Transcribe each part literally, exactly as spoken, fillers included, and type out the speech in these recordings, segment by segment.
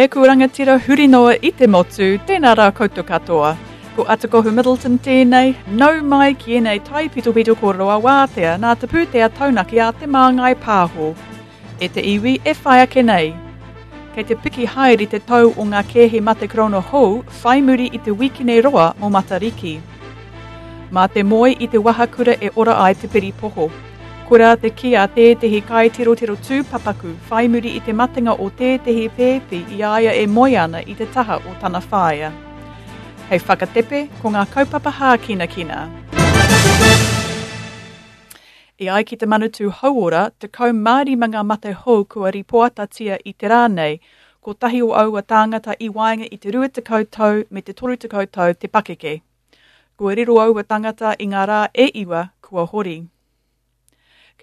Ēku rangatira huri noa i te motu, tēnā rā koutou katoa. Ko Atakohu Middleton tēnei, nau mai ki ēnei taipitopito kōrero a wātea nā te pūtea taunaki a Te Māngai Pāho. E te iwi e whai ake nei. Kei te piki haere te tau o ngā kēhi mate korona hou whai muri i te wikine roa mō Matariki. Mā te moe i te wahakura e ora ai te piripoho. Koirā te kī a tētehi kaitirotiro tūpapaku whai muri i te matenga o tētehi pēpi i a ia e moe ana i te taha o tana whaea. Hei whakatepe, ko ngā kaupapa hākinakina. E ai ki te Manatū Hauora, tekau mā rima ngā mate hou kua ripoatatia i te rā nei, kotahi o aua tāngata i waenga i te rua tekau tau me te toru tekau tau te pakeke. Kua riro aua tangata i ngā rā e iwa kua hori.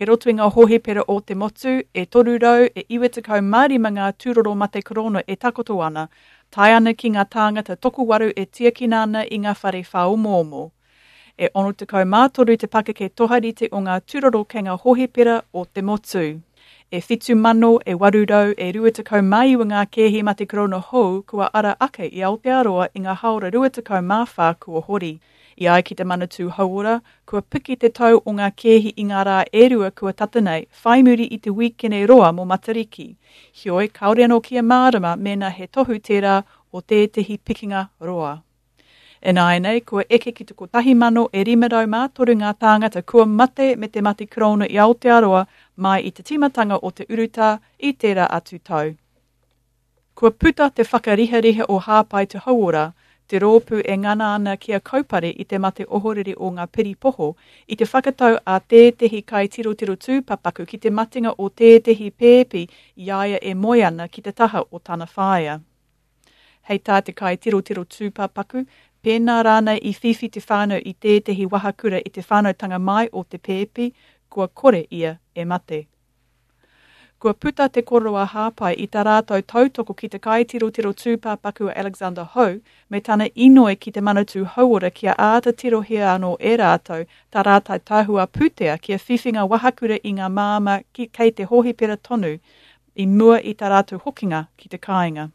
Kei roto i ngā hōhipera o te motu, e toru rau e iwa tekau mā rima ngā tūroro mate korona e takoto ana, tae ana ki ngā tāngata tokowaru e tiakina ana i ngā whare whāomoomo. E ono tekau mā toru te pakeke toharite o ngā tūroro kei ngā hōhipera o te motu. E whitu mano e waru rau e rua tekau mā iwa ngā kēhi mate korona hou kua ara ake i Aotearoa i ngā hāora rua tekau mā whā kua hori. I ai ki te Manatū Hauora, kua piki te tau o ngā kēhi i ngā rā e rua kua tata nei, whai muri i te wīkene roa mō Matariki. Heoi, kāore anō kia mārama mēnā he tohu tērā o tētehi pikinga roa. Ināianei, kua eke ki te kotahi mano e rima rau mā toru ngā tāngata kua mate me te mate korona i Aotearoa mai i te tīmatanga o te urutā i tērā atu tau. Kua puta te whakarihariha o Hāpai Te Hauora, te rōpū e ngana ana kia kaupare i te mate ohorere o ngā piripoho, i te whakatau a tētehi kaitirotiro tūpapaku ki te matenga o tētehi pēpi i a ia e moe ana ki te taha o tana whaea. Hei tā te kaitirotiro tūpapaku, pēnā rānei i whiwhi te whānau i tētehi wahakura i te whānautanga mai o te pēpi, kua kore ia e mate. Kua puta te kōrero a Hāpai i tā rātou tautoko ki te kaitirotiro tūpapaku a Alexander Ho me tana inoi ki te Manatū Hauora kia āta tirohia anō e rātou tā rātou tahua pūtea kia whiwhi ngā wahakura i ngā māmā ki, kei te hōhipera tonu i mua i tā rātou hokinga ki te kāinga.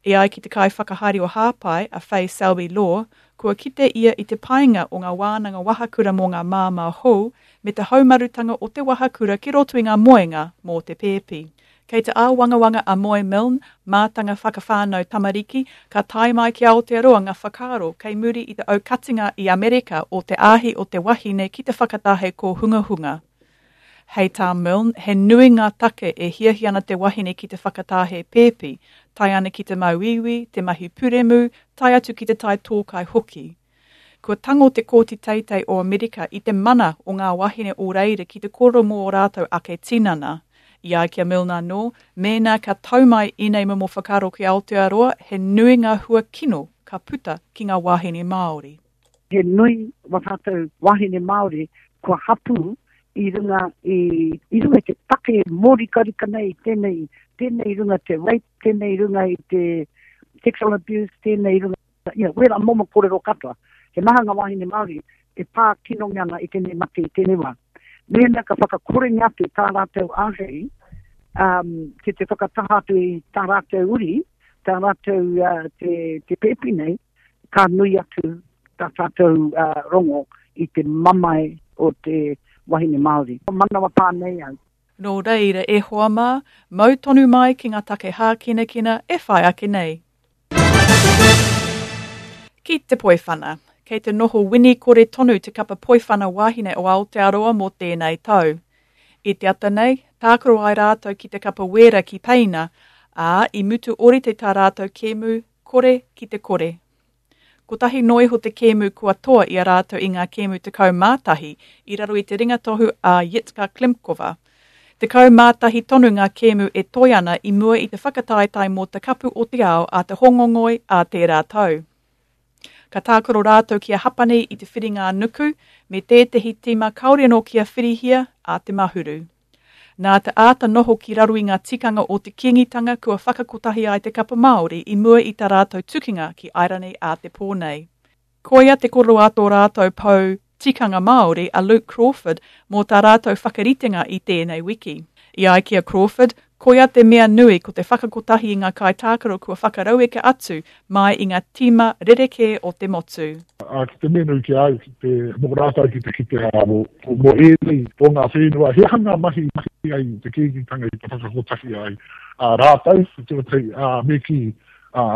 E ai ki te kaiwhakahaere o Hāpai, a Faye Selby Law, kua kite ia i te painga o ngā wānanga wahakura mō ngā māmā hou me te haumarutanga o te wahakura ki roto i ngā moenga mō te pēpi. Kei te āwangawanga a Moe Milne, mātanga whakawhānau tamariki, ka tae mai ki Aotearoa ngā whakaaro kei muri i te aukatinga i Amerika o te āhi o te wahine ki te whakatahe kōhungahunga. Hei tā Milne, he nui ngā take e hiahia ana te wahine ki te whakatahe pēpi, tae ana ki te māuiui, te mahi puremu, tae atu ki te tai tōkai hoki. Kua tango te Kōti Teitei o Amerika i te mana o ngā wahine o reira ki te kōrero mō ō rātou ake tinana. I ai ki a Milne anō, mēnā ka tau mai ēnei momo whakaaro ki Aotearoa, he nui ngā hua kino ka puta ki ngā wāhine Māori. He nui wā tātou wāhine Māori kua hapū i runga i, i runga i te take mōrikarika nei, tēnei, tēnei runga te rape, tēnei runga i te sexual abuse, tēnei runga, you know, wera momo kōrero katoa. He maha ngā wāhine Māori e pā kinongia ana i tēnei mate i tēnei wā. Mēnā ka whakakorengia atu tā rātou āhei, um, ki te whakataha atu i tā rātou uri, tā rātou uh, te, te pēpi nei, ka nui atu tā tātou uh, rongo i te mamae o te wahine Māori. Manawa pā nei au. Nō reira, e hoa mā, mau tonu mai ki ngā take hākinakina e whai ake nei. Ki te poiwhana. Kei te noho wini kore tonu te kapa poiwhana wāhine o Aotearoa mō tēnei tau. I te ata nei, tākaro ai rātou ki te kapa wēra ki Peina, ā, i mutu orite tā rātou kēmu kore ki te kore. Kotahi noa iho te kēmu kua toa i a rātou i ngā kēmu tekau mā tahi i raro i te ringatohu a Jitka Klimkova. Tekau mā tahi tonu ngā kēmu e toe ana i mua i te whakataetae mō te kapu o te ao a te Hongongoi a tērā tau. Ka tākaro rātou ki a Hapani i te whiringa nuku me tētehi tīma kāore anō kia whirihia a te Mahuru. Nā te āta noho ki raro i ngā tikanga o te Kīngitanga kua whakakotahi ai te kapa Māori i mua i tā rātou tukinga ki Airani a te pō nei. Koia te kōrero a tō rātou pou tikanga Māori a Luke Crawford mō tā rātou whakaritenga i tēnei wiki. I ai ki a Crawford, Koia te mea nui ko te whakakotahi i ngā kaitākaro kua whakarauika atu mai i ngā tīma rerekē o te motu. Ā, ki te mea nui ki a au, ki te, mō rātou ki te kite, ā, mō, mō ēnei o ngā whenua, he aha ngā mahi i mahi ai te Kīngitanga i te whakakotahi ai, ā, rātou, te tuatahi, ā, me kī, ā,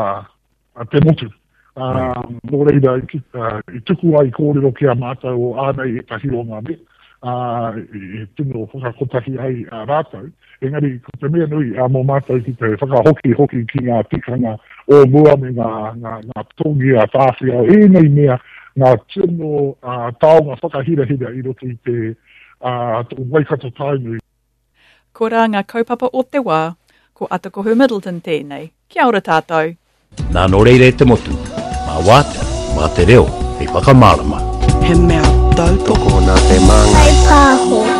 te motu. Ā, nō reira, i, ā, i tuku ai kōrero ki a mātou o ānei ētahi o ngā mea, ā, e tino whakakotahi ai a rātou. Engari, ko te mea nui ā, mō mātou ki te whakahoki hoki ki ngā tikanga o mua me ngā, ngā, ngā tongi a Tāwhiao, ēnei mea, ngā tino ā, taonga whakahirahira i roto i te ā, Waikato Tainui. Korā ngā kaupapa o te wā, ko Atakohu Middleton tēnei. Kia ora tātou. Nā nō reira e te motu, mā wātea, mā te reo, hei whakamārama. He mea tautoko. Tokona te māngai. Whai pāho.